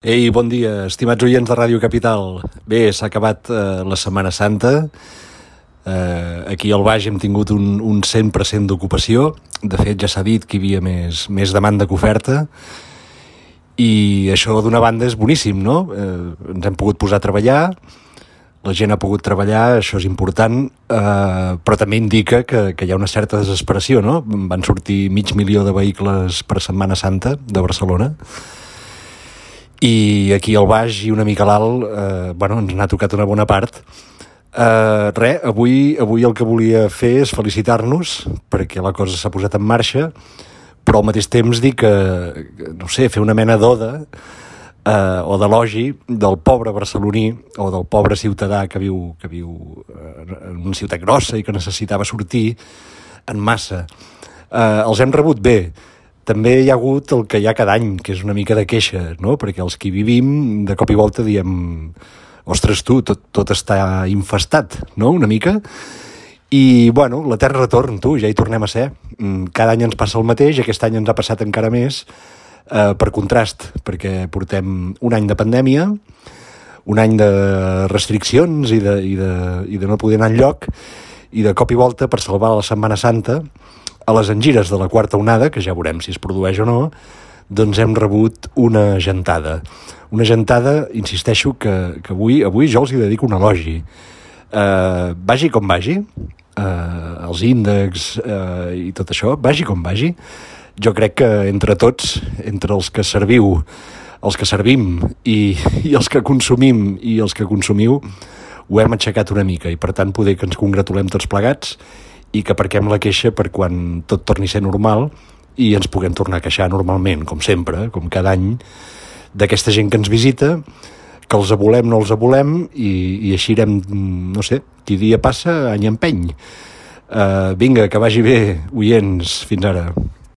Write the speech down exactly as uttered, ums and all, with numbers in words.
Ei, bon dia, estimats oients de Ràdio Capital. Bé, s'ha acabat eh, la Setmana Santa. Eh, aquí al Baix hem tingut un, un cent per cent d'ocupació. De fet, ja s'ha dit que hi havia més, més demanda que oferta. I això, d'una banda, és boníssim, no? Eh, ens hem pogut posar a treballar, la gent ha pogut treballar, això és important, eh, però també indica que, que hi ha una certa desesperació, no? Van sortir mig milió de vehicles per Setmana Santa de Barcelona, i aquí al Baix i una mica a l'alt, eh, bueno, ens n'ha tocat una bona part. Eh, res, avui, avui el que volia fer és felicitar-nos perquè la cosa s'ha posat en marxa, però al mateix temps dir que, no sé, fer una mena d'oda eh, o d'elogi del pobre barceloní o del pobre ciutadà que viu, que viu en una ciutat grossa i que necessitava sortir en massa. Eh, els hem rebut bé. També hi ha hagut el que hi ha cada any, que és una mica de queixa, no? Perquè els que hi vivim, de cop i volta diem ostres tu, tot, tot està infestat, no? Una mica. I, bueno, la terra retorn, tu, ja hi tornem a ser. Cada any ens passa el mateix, aquest any ens ha passat encara més, eh, per contrast, perquè portem un any de pandèmia, un any de restriccions i de, i de, i de no poder anar enlloc, i de cop i volta, per salvar la Setmana Santa, a les engires de la quarta onada, que ja veurem si es produeix o no, doncs hem rebut una gentada. Una gentada, insisteixo, que, que avui, avui jo els hi dedico un elogi. Eh, vagi com vagi, eh, els índexs eh, i tot això, vagi com vagi, jo crec que entre tots, entre els que serviu, els que servim i, i els que consumim i els que consumiu, ho hem aixecat una mica i per tant poder que ens congratulem tots plegats i que aparquem la queixa per quan tot torni a ser normal i ens puguem tornar a queixar normalment, com sempre, com cada any, d'aquesta gent que ens visita, que els avolem, no els avolem, i, i així irem, no sé, qui dia passa, any empeny. Uh, vinga, que vagi bé, oients, fins ara.